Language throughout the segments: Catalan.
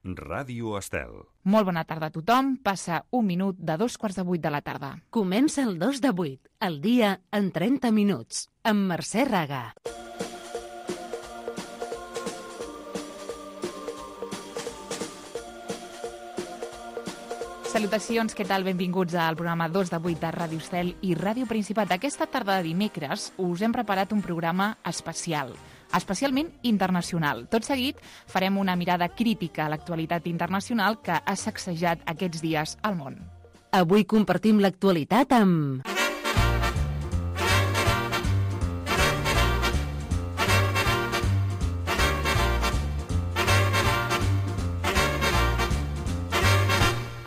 Ràdio Estel. Molt bona tarda a tothom. Passa un minut de 7:45 de la tarda. Comença el 2 de 8, el dia en 30 minuts, amb Mercè Raga. Salutacions, què tal? Benvinguts al programa 2 de 8 de Ràdio Estel i Ràdio Principat. Aquesta tarda de dimecres us hem preparat un programa especial, especialment internacional. Tot seguit farem una mirada crítica a l'actualitat internacional que ha sacsejat aquests dies al món. Avui compartim l'actualitat amb...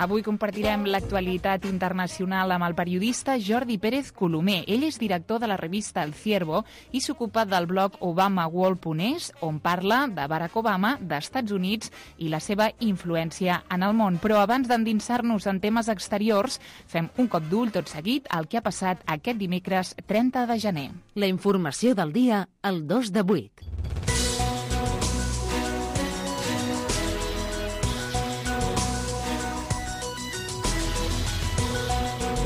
Avui compartirem l'actualitat internacional amb el periodista Jordi Pérez Colomer. Ell és director de la revista El Ciervo i s'ocupa del blog ObamaWorld.es, on parla de Barack Obama, d'Estats Units i la seva influència en el món. Però abans d'endinsar-nos en temes exteriors, fem un cop d'ull tot seguit al que ha passat aquest dimecres 30 de gener. La informació del dia, el 2 de 8.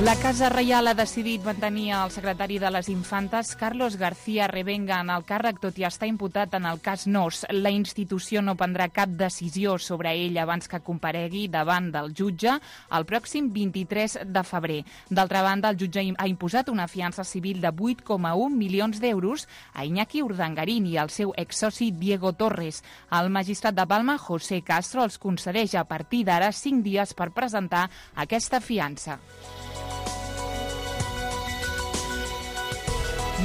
La Casa Reial ha decidit mantenir el secretari de les Infantes, Carlos García Revenga, en el càrrec, tot i estar imputat en el cas Nos. La institució no prendrà cap decisió sobre ell abans que comparegui davant del jutge el pròxim 23 de febrer. D'altra banda, el jutge ha imposat una fiança civil de 8,1 milions d'euros a Iñaki Urdangarín i al seu exsoci Diego Torres. El magistrat de Palma, José Castro, els concedeix a partir d'ara 5 dies per presentar aquesta fiança.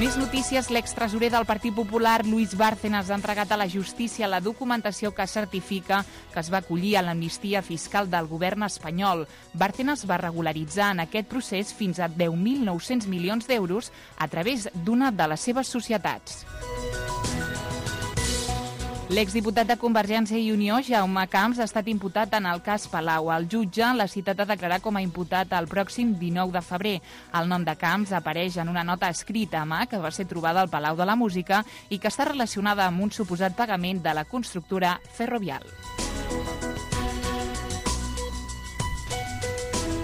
Més notícies. L'extresorer del Partit Popular, Luis Bárcenas, ha entregat a la justícia la documentació que certifica que es va acollir a l'amnistia fiscal del govern espanyol. Bárcenas va regularitzar en aquest procés fins a 10.900 milions d'euros a través d'una de les seves societats. L'exdiputat de Convergència i Unió, Jaume Camps, ha estat imputat en el cas Palau. El jutge l'ha citat a declarar com a imputat el pròxim 19 de febrer. El nom de Camps apareix en una nota escrita a mà que va ser trobada al Palau de la Música i que està relacionada amb un suposat pagament de la constructora Ferrovial.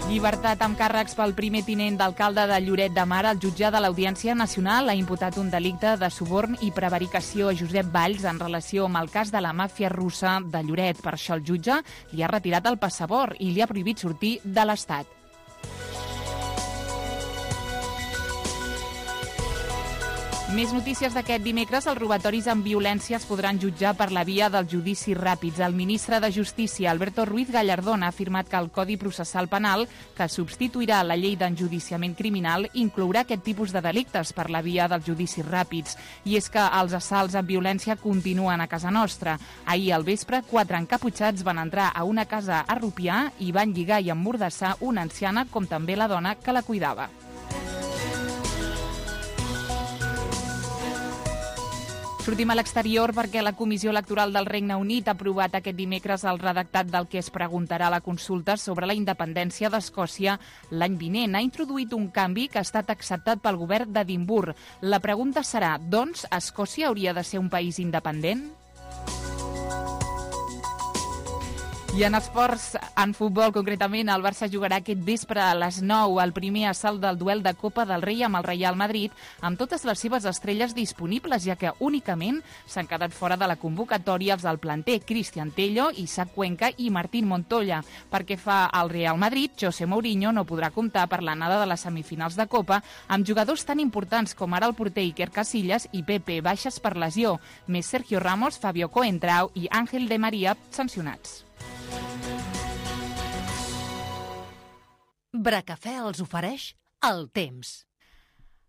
Llibertat amb càrrecs pel primer tinent d'alcalde de Lloret de Mar. El jutge de l'Audiència Nacional ha imputat un delicte de suborn i prevaricació a Josep Valls en relació amb el cas de la màfia russa de Lloret. Per això el jutge li ha retirat el passaport i li ha prohibit sortir de l'Estat. Més notícies d'aquest dimecres. Els robatoris amb violència es podran jutjar per la via dels judicis ràpids. El ministre de Justícia, Alberto Ruiz Gallardón, ha afirmat que el Codi Processal Penal, que substituirà la llei d'enjudiciament criminal, inclourà aquest tipus de delictes per la via dels judicis ràpids. I és que els assalts amb violència continuen a casa nostra. Ahir al vespre, 4 encaputxats van entrar a una casa a Rupià i van lligar i emmordassar una anciana, com també la dona que la cuidava. Sortim a l'exterior perquè la Comissió Electoral del Regne Unit ha aprovat aquest dimecres el redactat del que es preguntarà a la consulta sobre la independència d'Escòcia l'any vinent. Ha introduït un canvi que ha estat acceptat pel govern d'Edimburg. La pregunta serà, doncs, Escòcia hauria de ser un país independent? I en esports, en futbol concretament, el Barça jugarà aquest vespre a les 9 el primer assalt del duel de Copa del Rei amb el Real Madrid, amb totes les seves estrelles disponibles, ja que únicament s'han quedat fora de la convocatòria els del planter Cristian Tello, Isaac Cuenca i Martín Montoya. Perquè fa al Real Madrid, José Mourinho no podrà comptar per l'anada de les semifinals de Copa amb jugadors tan importants com ara el porter Iker Casillas i Pepe baixes per lesió, més Sergio Ramos, Fabio Coentrao i Ángel de María sancionats. Bracafè els ofereix el temps.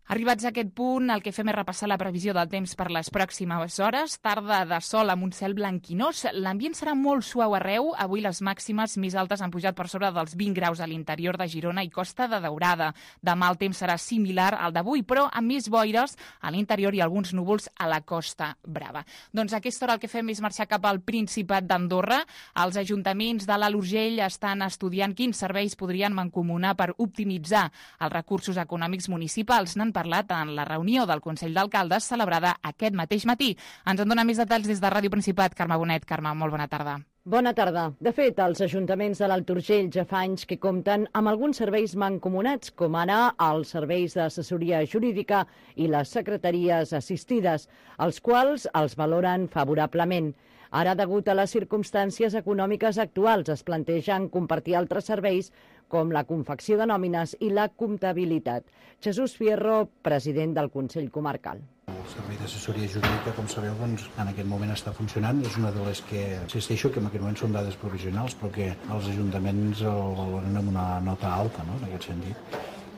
Arribats a aquest punt, el que fem és repassar la previsió del temps per les pròximes hores. Tarda de sol amb un cel blanquinós. L'ambient serà molt suau arreu. Avui les màximes més altes han pujat per sobre dels 20 graus a l'interior de Girona i Costa de Daurada. Demà el temps serà similar al d'avui, però amb més boires a l'interior i alguns núvols a la Costa Brava. Doncs a aquesta hora el que fem és marxar cap al Principat d'Andorra. Els ajuntaments de l'Alt Urgell estan estudiant quins serveis podrien mancomunar per optimitzar els recursos econòmics municipals. N'han parlat en la reunió del Consell d'Alcaldes celebrada aquest mateix matí. Ens en dona més detalls des de Ràdio Principat. Carme Bonet. Carme, molt bona tarda. Bona tarda. De fet, els ajuntaments de l'Alt Urgell ja fa anys que compten amb alguns serveis mancomunats, com ara els serveis d'assessoria jurídica i les secretaries assistides, els quals els valoren favorablement. Ara, degut a les circumstàncies econòmiques actuals, es plantegen compartir altres serveis com la confecció de nòmines i la comptabilitat. Jesús Fierro, president del Consell Comarcal. El servei d'assessoria jurídica, com sabeu, doncs, en aquest moment està funcionant. És una de les que insisteixo que en aquest moment són dades provisionals, però que els ajuntaments el valoren amb una nota alta, no?, en aquest sentit.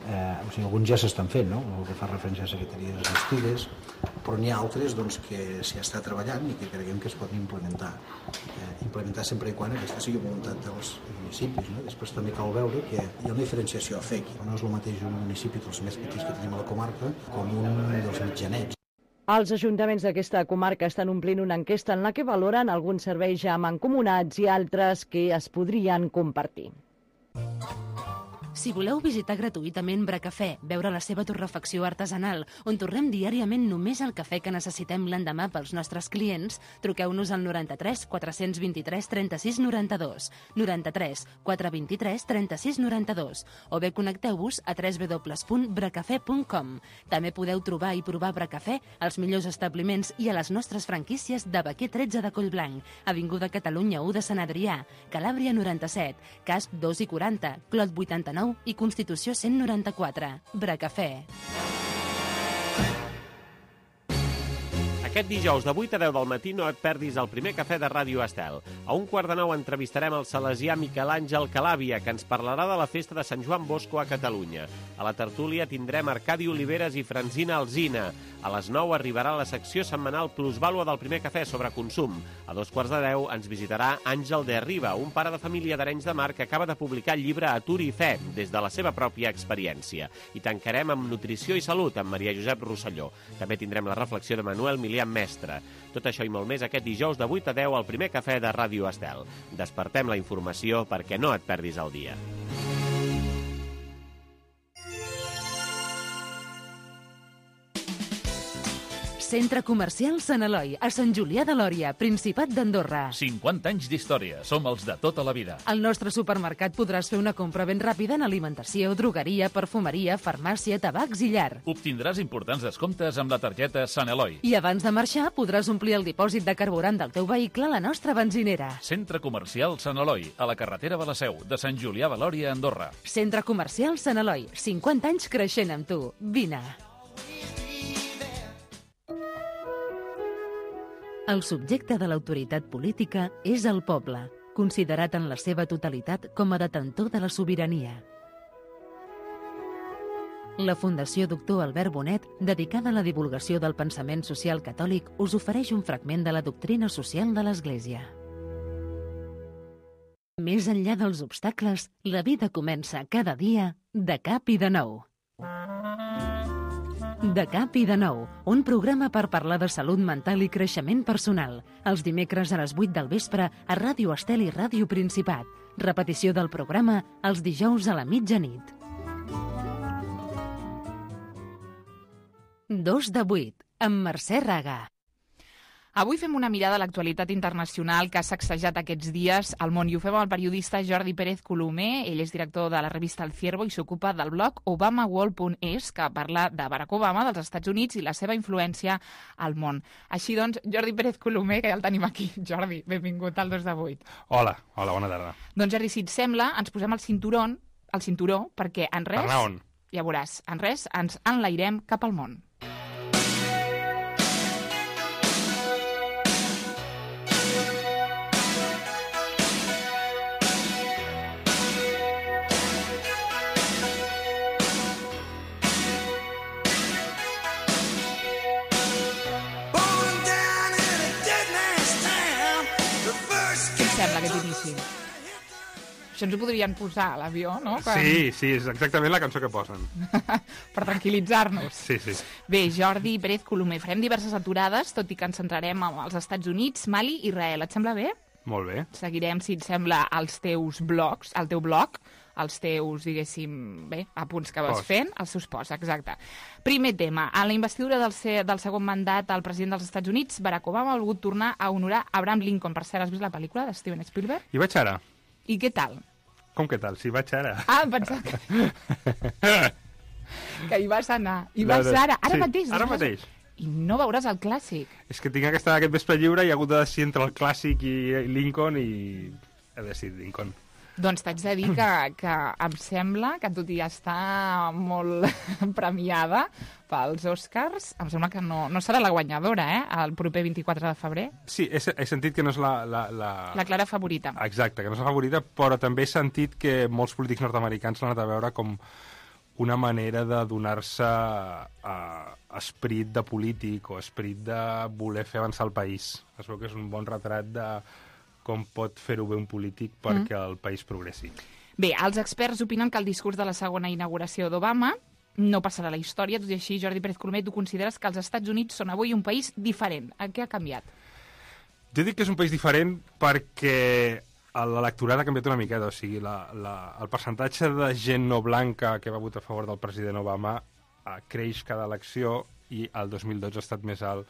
Alguns ja s'estan fent, no?, el que fa referència a secretaries assistides, però n'hi ha altres doncs, que s'hi està treballant i que creiem que es pot implementar. Implementar sempre i quan aquesta sigui voluntat dels municipis, no? Després també cal veure que hi ha una diferenciació a fer aquí. No és el mateix un municipi dels més petits que tenim a la comarca com un dels mitjanets. Els ajuntaments d'aquesta comarca estan omplint una enquesta en la que valoren alguns serveis ja mancomunats i altres que es podrien compartir. Si voleu visitar gratuïtament Bracafè, veure la seva torrefacció artesanal, on torrem diàriament només el cafè que necessitem l'endemà pels nostres clients, truqueu-nos al 93 423 36 92, 93 423 36 92, o bé connecteu-vos a www.bracafè.com. També podeu trobar i provar Bracafè als millors establiments i a les nostres franquícies de Baquer 13 de Collblanc, Avinguda Catalunya 1 de Sant Adrià, Calàbria 97, Casp 2 i 40, Clot 89 i Constitució 194. Bracafè. Aquest dijous de 8 a 10 del matí no et perdis el primer cafè de Ràdio Estel. A 1:15 entrevistarem el salesià Miquel Àngel Calàbia, que ens parlarà de la festa de Sant Joan Bosco a Catalunya. A la tertúlia tindrem Arcadi Oliveres i Francina Alsina. A les 9 arribarà la secció setmanal Plusvàlua del primer cafè sobre consum. A 9:15 ens visitarà Àngel de Riba, un pare de família d'Arenys de Mar que acaba de publicar el llibre Atur i Fe, des de la seva pròpia experiència. I tancarem amb Nutrició i Salut, amb Maria Josep Rosselló. També tindrem la reflexió de Manuel Milian Mestre. Tot això i molt més aquest dijous de 8 a 10 al primer cafè de Ràdio Estel. Despertem la informació perquè no et perdis el dia. Centre Comercial Sant Eloi, a Sant Julià de Lòria, Principat d'Andorra. 50 anys d'història, som els de tota la vida. Al nostre supermercat podràs fer una compra ben ràpida en alimentació, drogueria, perfumeria, farmàcia, tabacs i llar. Obtindràs importants descomptes amb la targeta Sant Eloi. I abans de marxar podràs omplir el dipòsit de carburant del teu vehicle a la nostra benzinera. Centre Comercial Sant Eloi, a la carretera de la Seu, de Sant Julià de Lòria, Andorra. Centre Comercial Sant Eloi, 50 anys creixent amb tu. Vine. El subjecte de l'autoritat política és el poble, considerat en la seva totalitat com a detentor de la sobirania. La Fundació Doctor Albert Bonet, dedicada a la divulgació del pensament social catòlic, us ofereix un fragment de la doctrina social de l'Església. Més enllà dels obstacles, la vida comença cada dia de cap i de nou. De cap i de nou, un programa per parlar de salut mental i creixement personal. Els dimecres a les 8 del vespre a Ràdio Estel i Ràdio Principat. Repetició del programa els dijous a la mitjanit. 2 de 8, amb Mercè Raga. Avui fem una mirada a l'actualitat internacional que ha sacsejat aquests dies al món i ho fem amb el periodista Jordi Pérez Colomer. Ell és director de la revista El Ciervo i s'ocupa del blog obamaworld.es, que parla de Barack Obama, dels Estats Units i la seva influència al món. Així doncs, Jordi Pérez Colomer, que ja el tenim aquí. Jordi, benvingut al 2 de 8. Hola, bona tarda. Doncs Jordi, si et sembla, ens posem el cinturó, perquè en res... Per anar on? Ja veuràs, en res ens enlairem cap al món. Sembla aquest inici. Això ens ho podrien posar a l'avió, no? Sí, és exactament la cançó que posen. Per tranquil·litzar-nos. Sí. Bé, Jordi Pérez Colomer, farem diverses aturades, tot i que ens centrarem als Estats Units, Mali i Israel. Et sembla bé? Molt bé. Seguirem, si et sembla, els teus blogs, el teu blog, els teus, diguéssim, apunts que vas Posts. fent, els seus posts, exacte. Primer tema, en la investidura del segon mandat al president dels Estats Units, Barack Obama ha volgut tornar a honorar Abraham Lincoln. Per cert, has vist la pel·lícula de Steven Spielberg? Hi vaig ara. I què tal? Com que tal? Sí, vaig ara. Ah, em pensava que hi vas anar. Hi vas ara mateix. Ara mateix. I no veuràs el clàssic. És que tinc aquest vespre lliure i he hagut de decidir entre el clàssic i Lincoln i he decidit Lincoln. Doncs t'haig de dir que em sembla que tot i estar molt premiada pels Oscars, em sembla que no serà la guanyadora, el proper 24 de febrer. Sí, he sentit que no és la clara favorita. Exacte, que no és la favorita, però també he sentit que molts polítics nord-americans l'han anat a veure com una manera de donar-se esperit de polític o esperit de voler fer avançar el país. Es veu que és un bon retrat de com pot fer-ho bé un polític perquè el país progressi. Bé, els experts opinen que el discurs de la segona inauguració d'Obama no passarà a la història, tot i així, Jordi Pérez Colomer, tu consideres que els Estats Units són avui un país diferent. Què ha canviat? Jo dic que és un país diferent perquè l'electorat ha canviat una miqueta, o sigui, el percentatge de gent no blanca que va votar a favor del president Obama creix cada elecció i el 2012 ha estat més alt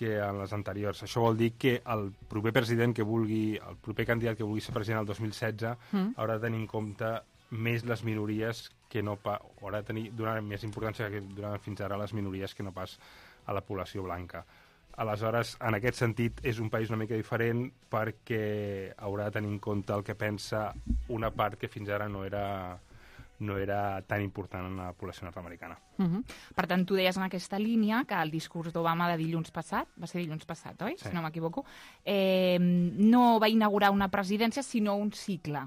que en les anteriors. Això vol dir que el proper president que vulgui, el proper candidat que vulgui ser president el 2016 haurà de tenir en compte més les minories que no haurà de donar més importància que donaven fins ara les minories que no pas a la població blanca. Aleshores, en aquest sentit, és un país una mica diferent perquè haurà de tenir en compte el que pensa una part que fins ara no era tan important en la població nord-americana. Per tant, tu deies en aquesta línia que el discurs d'Obama de dilluns passat, va ser dilluns passat, oi? Sí. Si no m'equivoco, no va inaugurar una presidència, sinó un cicle.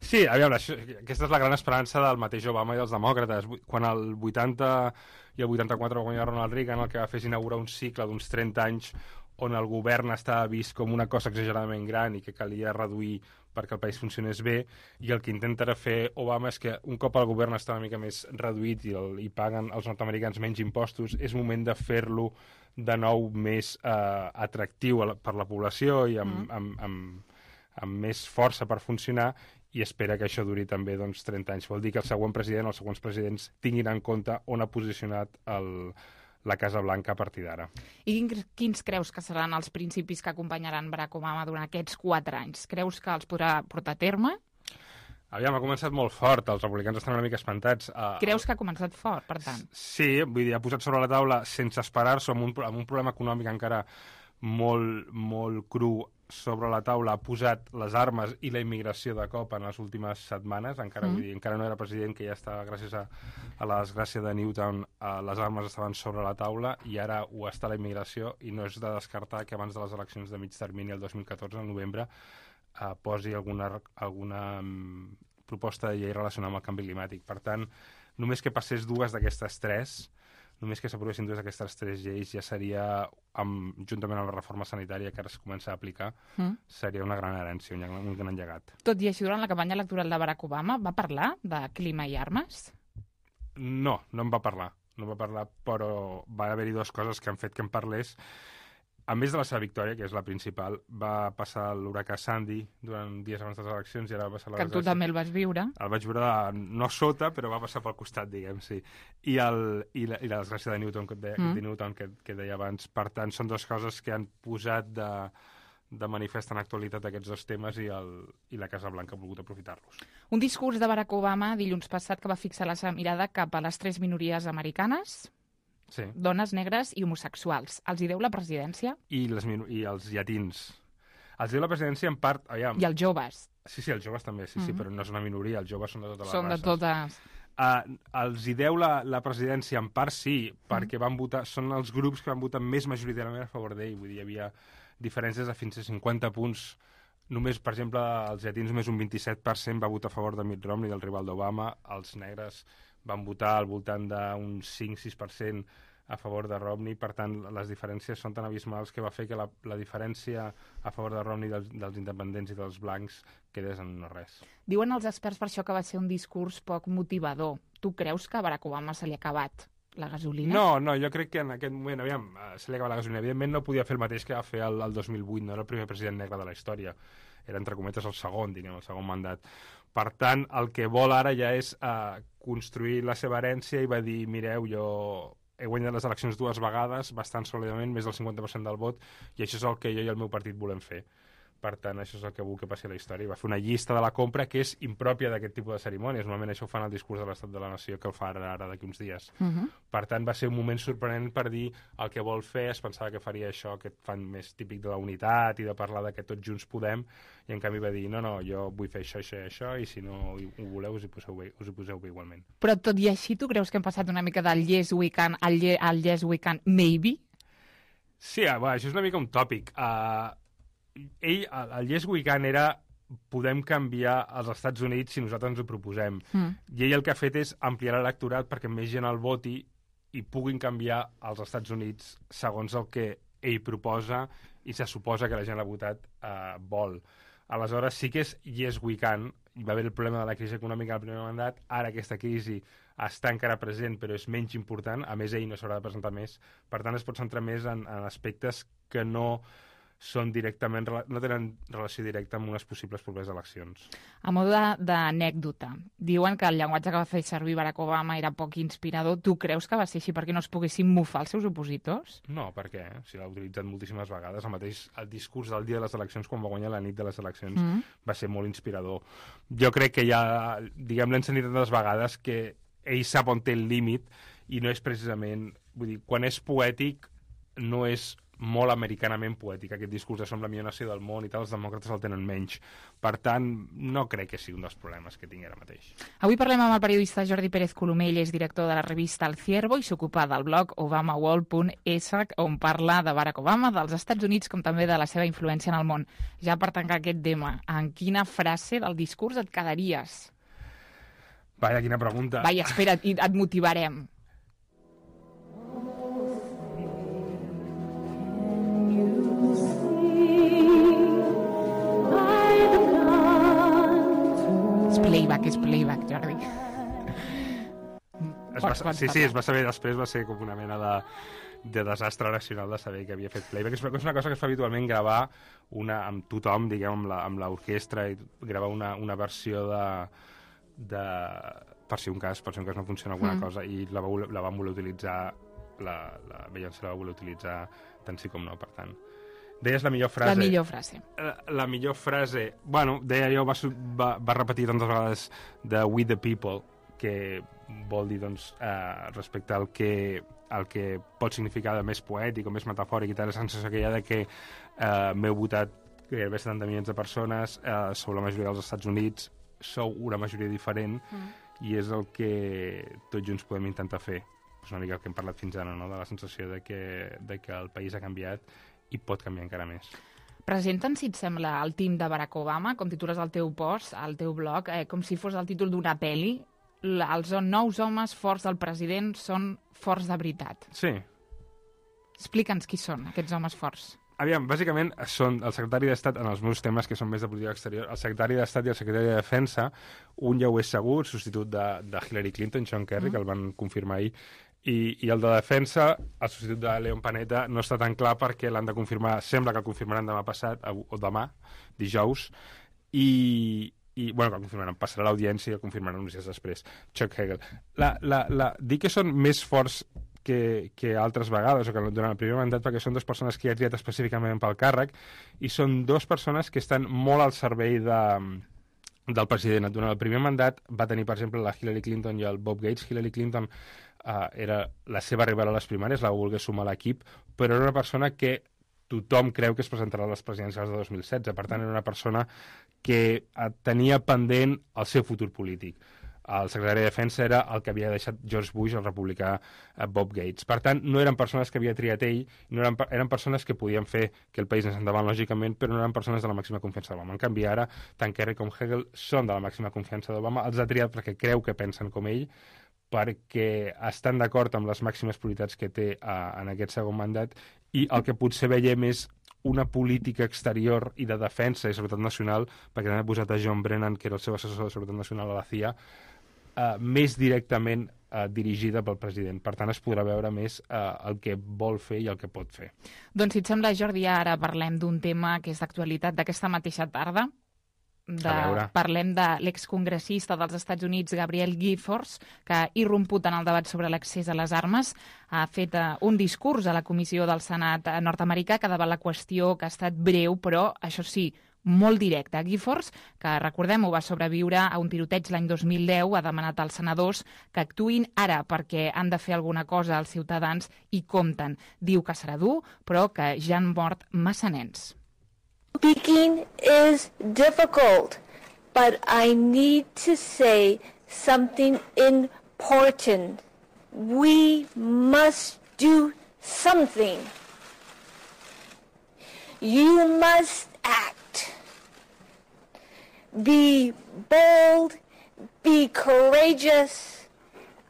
Sí, aviam, aquesta és la gran esperança del mateix Obama i dels demòcrates. Quan el 80 i el 84 va guanyar Ronald Reagan, el que va fer és inaugurar un cicle d'uns 30 anys on el govern estava vist com una cosa exageradament gran i que calia reduir perquè el país funcionés bé, i el que intenta fer Obama és que un cop el govern està una mica més reduït i paguen els nord-americans menys impostos, és moment de fer-lo de nou més atractiu per la població i amb més força per funcionar, i espera que això duri també 30 anys. Vol dir que el següent president, els següents presidents tinguin en compte on ha posicionat la Casa Blanca a partir d'ara. I quins creus que seran els principis que acompanyaran Barack Obama durant aquests 4 anys? Creus que els podrà portar a terme? Aviam, ha començat molt fort, els republicans estan una mica espantats. Creus que ha començat fort, per tant? Sí, vull dir, ha posat sobre la taula, sense esperar-se, amb un problema econòmic encara molt, molt cru sobre la taula, ha posat les armes i la immigració de cop en les últimes setmanes, encara no era president, que ja estava, gràcies a la desgràcia de Newtown, les armes estaven sobre la taula, i ara ho està la immigració, i no és de descartar que abans de les eleccions de mig termini, el 2014, al novembre, posi alguna proposta de llei relacionada amb el canvi climàtic. Per tant, només que passés només que s'aprovessin 2 d'aquestes 3 lleis ja seria, juntament amb la reforma sanitària que ara es comença a aplicar, seria una gran herència, un gran llegat. Tot i així, durant la campanya electoral de Barack Obama, va parlar de clima i armes? No en va parlar. No va parlar, però va haver-hi 2 coses que han fet que en parlés. A més de la seva victòria, que és la principal, va passar l'huracà Sandy durant dies abans de les eleccions i ara va passar la desgràcia. Que tu també el vas viure. El vaig viure no sota, però va passar pel costat, diguem, sí. I la desgràcia de Newton, que deia abans. Per tant, són 2 coses que han posat de manifest en actualitat aquests 2 temes i la Casa Blanca ha volgut aprofitar-los. Un discurs de Barack Obama dilluns passat que va fixar la seva mirada cap a les 3 minories americanes, sí. Dones, negres i homosexuals. Els hi deu la presidència? I els llatins. Els deu la presidència en part... Aviam. I els joves? Sí, els joves també, sí, però no és una minoria, els joves són de totes les races. Són de totes. Els hi deu la presidència en part, sí, perquè van votar, són els grups que van votar més majoritàriament a favor d'ell. Vull dir, hi havia diferències de fins a 50 punts. Només, per exemple, els llatins només un 27% va votar a favor de Mitt Romney, del rival d'Obama. Els negres van votar al voltant d'un 5-6% a favor de Romney. Per tant, les diferències són tan abismals que va fer que la diferència a favor de Romney dels independents i dels blancs quedés en no res. Diuen els experts per això que va ser un discurs poc motivador. Tu creus que a Barack Obama se li ha acabat la gasolina? No, jo crec que en aquest moment, se li ha acabat la gasolina. Evidentment no podia fer el mateix que va fer el 2008, no era el primer president negre de la història. era entre cometes el segon mandat. Per tant, el que vol ara ja és construir la seva herència i va dir, mireu, jo he guanyat les eleccions 2 vegades, bastant sòlidament, més del 50% del vot, i això és el que jo i el meu partit volem fer. Per tant, això és el que vull que passi a la història. Va fer una llista de la compra que és impròpia d'aquest tipus de cerimònies. Normalment això ho fan al discurs de l'Estat de la Nació, que el fa ara d'aquí uns dies. Per tant, va ser un moment sorprenent per dir el que vol fer. Es pensava que faria això que fan més típic de la unitat i de parlar de que tots junts podem, i en canvi va dir, no, jo vull fer això, això i això, i si no ho voleu us hi poseu bé igualment. Però tot i així, tu creus que hem passat una mica del Yes We Can al Yes We Can Maybe? Sí, això és una mica un tòpic. El Yes We Can era podem canviar els Estats Units si nosaltres ens ho proposem. I ell el que ha fet és ampliar l'electorat perquè més gent el voti i puguin canviar els Estats Units segons el que ell proposa i se suposa que la gent l'ha votat vol. Aleshores sí que és Yes We Can. Hi va haver el problema de la crisi econòmica al primer mandat. Ara aquesta crisi està encara present però és menys important. A més, ell no s'haurà de presentar més. Per tant, es pot centrar més en aspectes que no tenen relació directa amb unes possibles properes eleccions. A mode d'anècdota, diuen que el llenguatge que va fer servir Barack Obama era poc inspirador. Tu creus que va ser així perquè no es poguessin mofar els seus opositors? No, per què? Si l'ha utilitzat moltíssimes vegades. El discurs del dia de les eleccions, quan va guanyar la nit de les eleccions, va ser molt inspirador. Jo crec que ja, l'hem sentit tantes vegades que ell sap on té el límit i no és precisament... Vull dir, quan és poètic, no és molt americanament poètic. Aquest discurs de som la millor nació del món i tal, els demòcrates el tenen menys. Per tant, no crec que sigui un dels problemes que tingui ara mateix. Avui parlem amb el periodista Jordi Pérez Colomell, és director de la revista El Ciervo i s'ocupa del blog obamawall.es, on parla de Barack Obama, dels Estats Units, com també de la seva influència en el món. Ja per tancar aquest tema, en quina frase del discurs et quedaries? Vaja, quina pregunta. Vaja, espera't, et motivarem. És playback, Jordi. Es va saber després, va ser com una mena de desastre nacional de saber que havia fet playback. És una cosa que es fa habitualment gravar amb tothom, diguem, amb l'orquestra, i gravar una versió de per si un cas no funciona alguna cosa, i la van voler utilitzar, la Beyoncé la va voler utilitzar tant sí com no, per tant. Deies la millor frase. La millor frase. La millor frase... Bueno, deia jo, va repetir tantes vegades de We the People, que vol dir, doncs, respecte al que pot significar de més poètic o més metafòric i tal, la sensació que hi ha de que m'heu votat gairebé 70 milions de persones, sou la majoria dels Estats Units, sou una majoria diferent, i és el que tots junts podem intentar fer. És una mica el que hem parlat fins ara, no? De la sensació de que el país ha canviat i pot canviar encara més. Presenten, si et sembla, el team de Barack Obama, com titules al teu post, al teu blog, com si fos el títol d'una pel·li. Els nous homes forts del president són forts de veritat. Sí. Explica'ns qui són, aquests homes forts. Aviam, bàsicament són el secretari d'Estat en els meus temes, que són més de política exterior, el secretari d'Estat i el secretari de Defensa, un ja ho és segur, substitut de Hillary Clinton, John Kerry, que el van confirmar ahir, i el de Defensa, el substitut de Leon Panetta, no està tan clar perquè l'han de confirmar, sembla que el confirmaran demà passat, o demà, dijous, i bueno, que el confirmaran, passarà l'audiència i el confirmaran uns dies després. Chuck Hagel. Dic que són més forts que altres vegades, o que durant el primer mandat, perquè són dues persones que hi ha triat específicament pel càrrec, i són dues persones que estan molt al servei del president. Durant el primer mandat va tenir, per exemple, la Hillary Clinton i el Bob Gates. Hillary Clinton era la seva rival a les primàries, la va voler sumar a l'equip, però era una persona que tothom creu que es presentarà a les presidencials de 2016. Per tant, era una persona que tenia pendent el seu futur polític. El secretari de Defensa era el que havia deixat George Bush, el republicà Bob Gates. Per tant, no eren persones que havia triat ell, eren persones que podien fer que el país anés endavant, lògicament, però no eren persones de la màxima confiança d'Obama. En canvi, ara, tant Kerry com Hagel són de la màxima confiança d'Obama, els ha triat perquè creu que pensen com ell, perquè estan d'acord amb les màximes prioritats que té en aquest segon mandat, i el que potser veiem és una política exterior i de defensa i seguretat nacional, perquè també ha posat a John Brennan, que era el seu assessor de seguretat nacional a la CIA, més directament dirigida pel president. Per tant, es podrà veure més el que vol fer i el que pot fer. Doncs, si et sembla, Jordi, ara parlem d'un tema que és d'actualitat d'aquesta mateixa tarda. Parlem de l'excongressista dels Estats Units, Gabrielle Giffords, que ha irromput en el debat sobre l'accés a les armes. Ha fet un discurs a la comissió del Senat nord-americà que davant la qüestió que ha estat breu, però, això sí, molt directe. Giffords, que recordem-ho, va sobreviure a un tiroteig l'any 2010, ha demanat als senadors que actuïn ara perquè han de fer alguna cosa als ciutadans i compten. Diu que serà dur, però que ja han mort massa nens. Speaking is difficult, but I need to say something important. We must do something. You must act. Be bold, be courageous.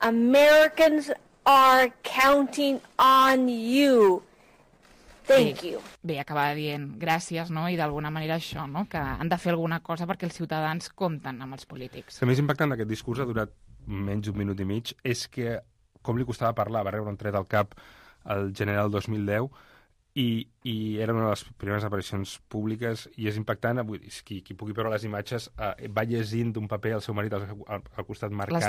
Americans are counting on you. Thank you. Bé, acabava dient gràcies, no? I d'alguna manera això, no? Que han de fer alguna cosa perquè els ciutadans compten amb els polítics. El més impactant d'aquest discurs ha durat menys d'un minut i mig, és que com li costava parlar, va rebre un tret al cap el gener del 2010 i era una de les primeres aparicions públiques i és impactant. Qui pugui veure les imatges, va llegint d'un paper al seu marit al costat, marcant-li...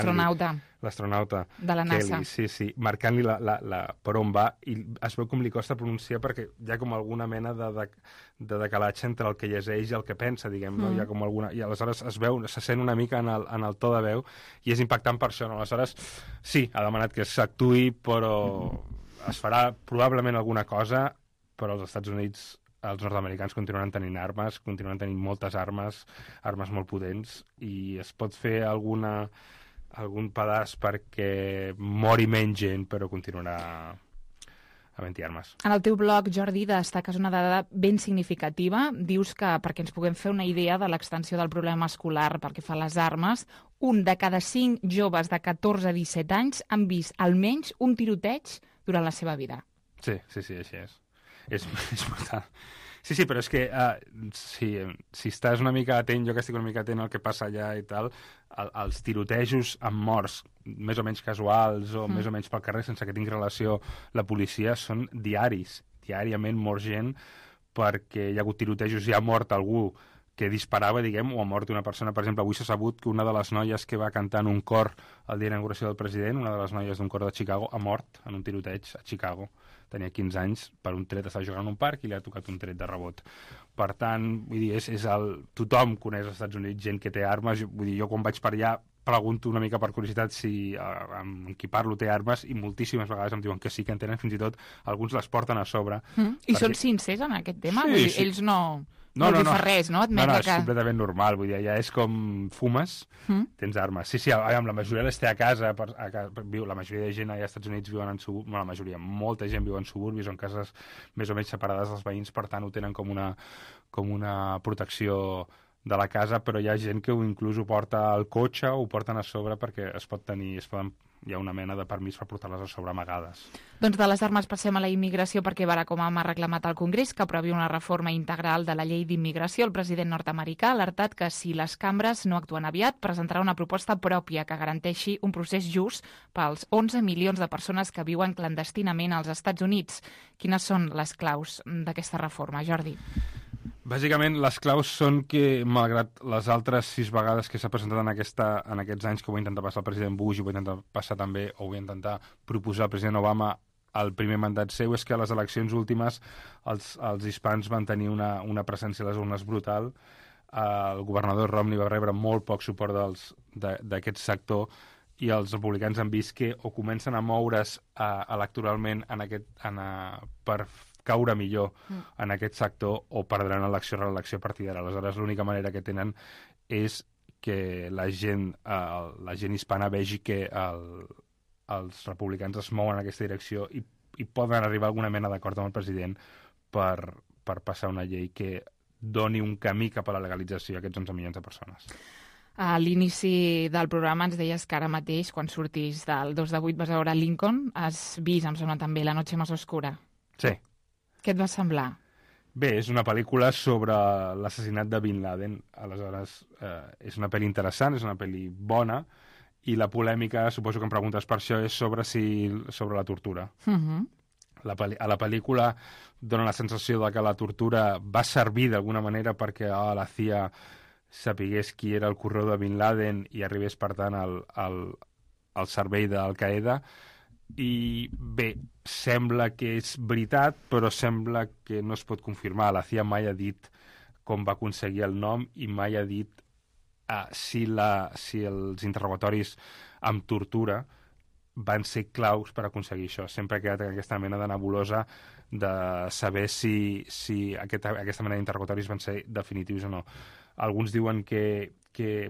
L'astronauta de la NASA. Kelly, sí, marcant-li per on va, i es veu com li costa pronunciar perquè hi ha com alguna mena de decalatge entre el que llegeix i el que pensa, diguem, no? Hi ha com alguna... I aleshores se sent una mica en el to de veu i és impactant per això, no? Aleshores, sí, ha demanat que s'actuï, però es farà probablement alguna cosa, però als Estats Units els nord-americans continuen tenint armes, continuen tenint moltes armes molt potents, i es pot fer algun pedaç perquè mori menys gent, però continuarà havent-hi armes. En el teu blog, Jordi, destaques una dada ben significativa. Dius que, perquè ens puguem fer una idea de l'extensió del problema escolar pel que fa a les armes, 1 de cada 5 joves de 14 a 17 anys han vist almenys un tiroteig durant la seva vida. Sí, així és. És brutal. Sí, però és que si estàs una mica atent, jo que estic una mica atent al que passa allà i tal, els tirotejos amb morts més o menys casuals o més o menys pel carrer sense que tingui relació la policia són diaris. Diàriament mor gent perquè hi ha hagut tirotejos i ha mort algú que disparava, diguem, o ha mort una persona. Per exemple, avui s'ha sabut que una de les noies que va cantar en un cor el dia d'inauguració del president, una de les noies d'un cor de Chicago, ha mort en un tiroteig a Chicago. Tenia 15 anys, per un tret estava jugant en un parc i li ha tocat un tret de rebot. Per tant, vull dir, tothom coneix als Estats Units gent que té armes. Vull dir, jo quan vaig per allà pregunto una mica per curiositat si amb qui parlo té armes i moltíssimes vegades em diuen que sí, que en tenen, fins i tot alguns les porten a sobre. I són sincers en aquest tema? Sí, vull dir, ells no li fa res, no? No, és completament normal. Vull dir, ja és com fumes, tens armes. Sí, la majoria les té a casa. La majoria de gent allà als Estats Units viuen en suburbis. No, la majoria, molta gent viu en suburbis o en cases més o menys separades dels veïns, per tant ho tenen com una protecció de la casa, però hi ha gent que inclús ho porta al cotxe o ho porten a sobre perquè hi ha una mena de permís per portar-les a sobre amagades. Doncs de les armes passem a la immigració, perquè Barack Obama ha reclamat al Congrés que aprovi una reforma integral de la llei d'immigració. El president nord-americà ha alertat que si les cambres no actuen aviat, presentarà una proposta pròpia que garanteixi un procés just pels 11 milions de persones que viuen clandestinament als Estats Units. Quines són les claus d'aquesta reforma, Jordi? Bàsicament, les claus són que, malgrat les altres 6 vegades que s'ha presentat en aquests anys que ho va intentar passar el president Bush i ho va intentar passar també, o ho va intentar proposar el president Obama al primer mandat seu, és que a les eleccions últimes els hispans van tenir una presència a les urnes brutal. El governador Romney va rebre molt poc suport d'aquest sector i els republicans han vist que o comencen a moure's electoralment per caure millor en aquest sector o perdran elecció-reelecció a partir d'ara. Aleshores, l'única manera que tenen és que la gent hispana vegi que els republicans es mouen en aquesta direcció i poden arribar a alguna mena d'acord amb el president per passar una llei que doni un camí cap a la legalització a aquests 11 milions de persones. A l'inici del programa ens deies que ara mateix, quan surtis del 2 de 8, vas a veure Lincoln. Has vist, em sembla també, La noche más oscura. Sí. Què et va semblar? Bé, és una pel·lícula sobre l'assassinat de Bin Laden. Aleshores, és una pel·li interessant, és una pel·li bona i la polèmica, suposo que em preguntes per això, és sobre la tortura. A la pel·lícula dona la sensació de que la tortura va servir d'alguna manera perquè la CIA sapigués qui era el corredor de Bin Laden i arribés, per tant, al servei d'Al-Qaeda. I bé, sembla que és veritat, però sembla que no es pot confirmar. La CIA mai ha dit com va aconseguir el nom i mai ha dit si els interrogatoris amb tortura van ser claus per aconseguir això. Sempre ha quedat aquesta mena de nebulosa de saber si aquesta mena d'interrogatoris van ser definitius o no. Alguns diuen que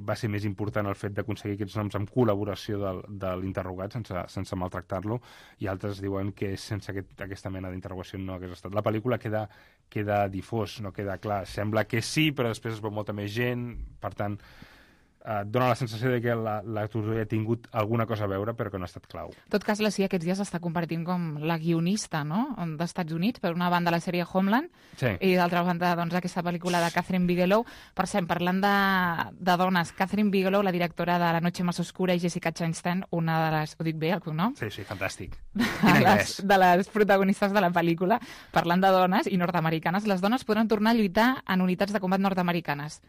va ser més important el fet d'aconseguir aquests noms amb col·laboració de l'interrogat, sense maltractar-lo, i altres diuen que sense aquesta mena d'interrogació no hagués estat. La pel·lícula queda difós, no queda clar. Sembla que sí, però després es veu molta més gent, per tant, dona la sensació de que la tortura ha tingut alguna cosa a veure, però que no ha estat clau. En tot cas, la CIA aquests dies està compartint com la guionista, no?, d'Estats Units, per una banda la sèrie Homeland, i d'altra banda doncs, aquesta pel·lícula de Catherine Bigelow. Per cert, parlant de dones, Catherine Bigelow, la directora de La noche más oscura, i Jessica Chastain, una de les... Ho dic bé, el cognom? Sí, fantàstic. De les protagonistes de la pel·lícula, parlant de dones i nord-americanes, les dones podran tornar a lluitar en unitats de combat nord-americanes.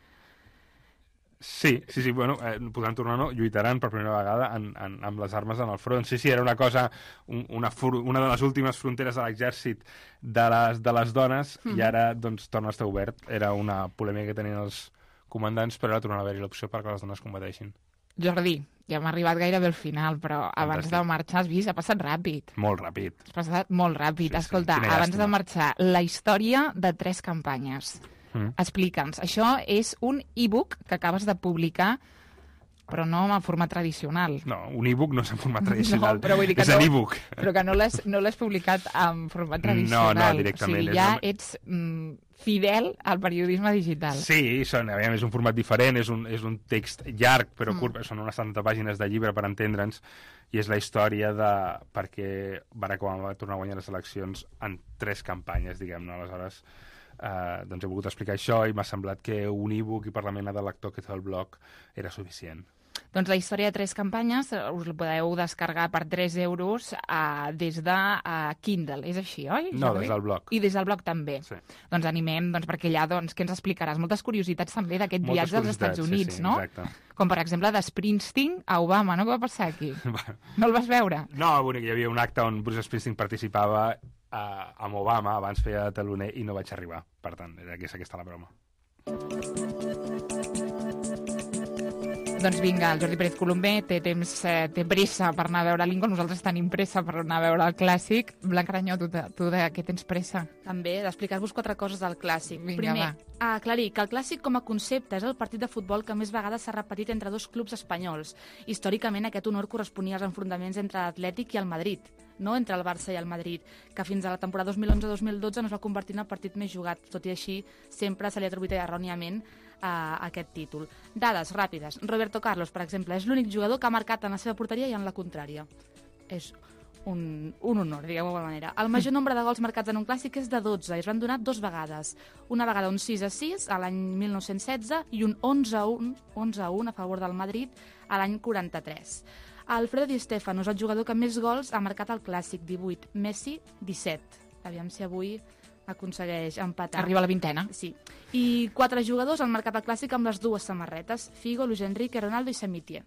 Sí, bueno, podran tornar o no, lluitaran per primera vegada amb les armes en el front. Sí, era una cosa, una de les últimes fronteres de l'exèrcit de les dones, i ara doncs torna a estar obert. Era una polèmica que tenien els comandants, però ara torna a haver-hi l'opció perquè les dones combateixin. Jordi, ja hem arribat gairebé al final, però abans de marxar, has vist, ha passat ràpid. Molt ràpid. Ha passat molt ràpid. Sí, escolta, abans de marxar, la història de 3 campanyes. Explica'ns. Això és un e-book que acabes de publicar, però no en format tradicional. No, un e-book no és en format tradicional. No, però vull dir que és en e-book. Però que no l'has publicat en format tradicional. No, directament. O sigui, ja ets fidel al periodisme digital. Sí, és un format diferent, és un text llarg, però curt, són unes 70 pàgines de llibre per entendre'ns, i és la història de perquè Barack Obama va tornar a guanyar les eleccions en 3 campanyes, diguem-ne. Aleshores, doncs he volgut explicar això i m'ha semblat que un e-book i per la mena de lector que té el blog era suficient. Doncs la història de 3 campanyes us la podeu descarregar per 3 euros des de Kindle. És així, oi? No, des del blog. I des del blog també. Sí. Doncs animem, perquè allà, què ens explicaràs? Moltes curiositats també d'aquest viatge als Estats Units, no? Exacte. Com, per exemple, de Springsteen a Obama, no? Què va passar aquí? No el vas veure? No, hi havia un acte on Bruce Springsteen participava amb Obama, abans feia de teloner, i no vaig arribar. Per tant, és aquesta la broma. Doncs vinga, el Jordi Pérez Colomer té pressa per anar a veure Lincoln, nosaltres tenim pressa per anar a veure el clàssic. Blanca Aranyó, tu de què tens pressa? També, d'explicar-vos 4 coses del clàssic. Vinga, primer, aclarir que el clàssic com a concepte és el partit de futbol que més vegades s'ha repetit entre 2 clubs espanyols. Històricament aquest honor corresponia als enfrontaments entre l'Atlètic i el Madrid, no entre el Barça i el Madrid, que fins a la temporada 2011-2012 no es va convertir en el partit més jugat. Tot i així, sempre se li ha atribuït erròniament aquest títol. Dades ràpides. Roberto Carlos, per exemple, és l'únic jugador que ha marcat en la seva porteria i en la contrària. És un honor, diguem-ho d'alguna manera. El major nombre de gols marcats en un clàssic és de 12 i es van donar 2 vegades. Una vegada un 6-6 a l'any 1916 i un 11-1 a favor del Madrid a l'any 43. Alfredo Di Stéfano és el jugador que més gols ha marcat al clàssic, 18. Messi, 17. Aviam si avui aconsegueix empatar. Arriba a la 20ena. Sí. I 4 jugadors han marcat el clàssic amb les 2 samarretes. Figo, Luis Enrique, Ronaldo i Samitier.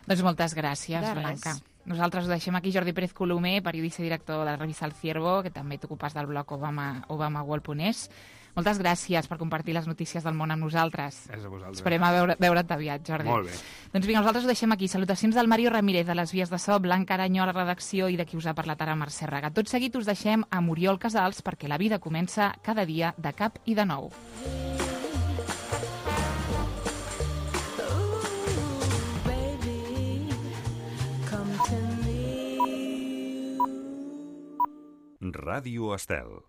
Doncs moltes gràcies, Blanca. Nosaltres ho deixem aquí. Jordi Pérez Colomer, periodista i director de la revista El Ciervo, que també t'ocupes del blog obamaworld.es. Moltes gràcies per compartir les notícies del món amb nosaltres. És a vosaltres. Esperem veure't aviat, Jordi. Molt bé. Doncs vinga, nosaltres ho deixem aquí. Salutacions del Mario Ramírez, de les vies de so, Blanca Aranyó a la redacció i de qui us ha parlat ara, Mercè Raga. Tot seguit us deixem a Muriol Casals perquè la vida comença cada dia de cap i de nou. Ràdio Estel.